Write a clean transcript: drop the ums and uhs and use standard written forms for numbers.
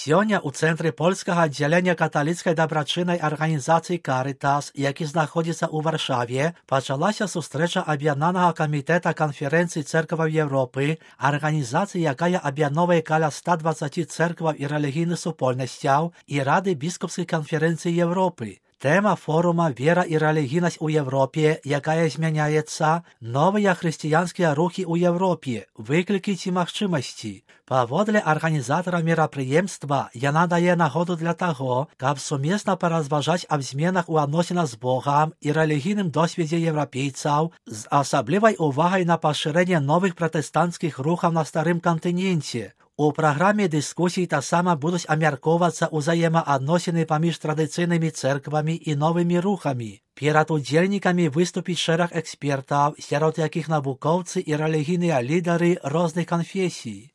Сёння ў цэнтры польскага аддзялення каталіцкай дабрачыннай арганізацыі «Карытас», які знаходзіцца ў Варшаве, пачалася сустрэча аб'яднанага камітэта канферэнцыі цэркваў Еўропы, арганізацыі, якая аб'ядноўвае каля 120 цэркваў і рэлігійных супольнасцяў, і Рады біскупскай канферэнцыі Еўропы. Тэма форума «Вера і рэлігійнасць у Еўропе, якая змяняецца, новыя хрысціянскія рухі ў Еўропе, выклікі ці магчымасці». Паводле арганізатара мерапрыемства, яна дае нагоду для таго, каб сумесна паразважаць аб зменах у адносінах з Богам і рэлігійным досведзе еўрапейцаў з асаблівай увагай на пашырэнне новых пратэстанцкіх рухаў на старым кантыненце. У праграме дыскусій таксама будуць абмяркоўвацца ўзаемаадносіны паміж традыцыйнымі цэрквамі і новымі рухамі. Перад удзельнікамі выступіць шэраг экспертаў, сярод якіх навукоўцы і рэлігійныя лідары розных канфесій.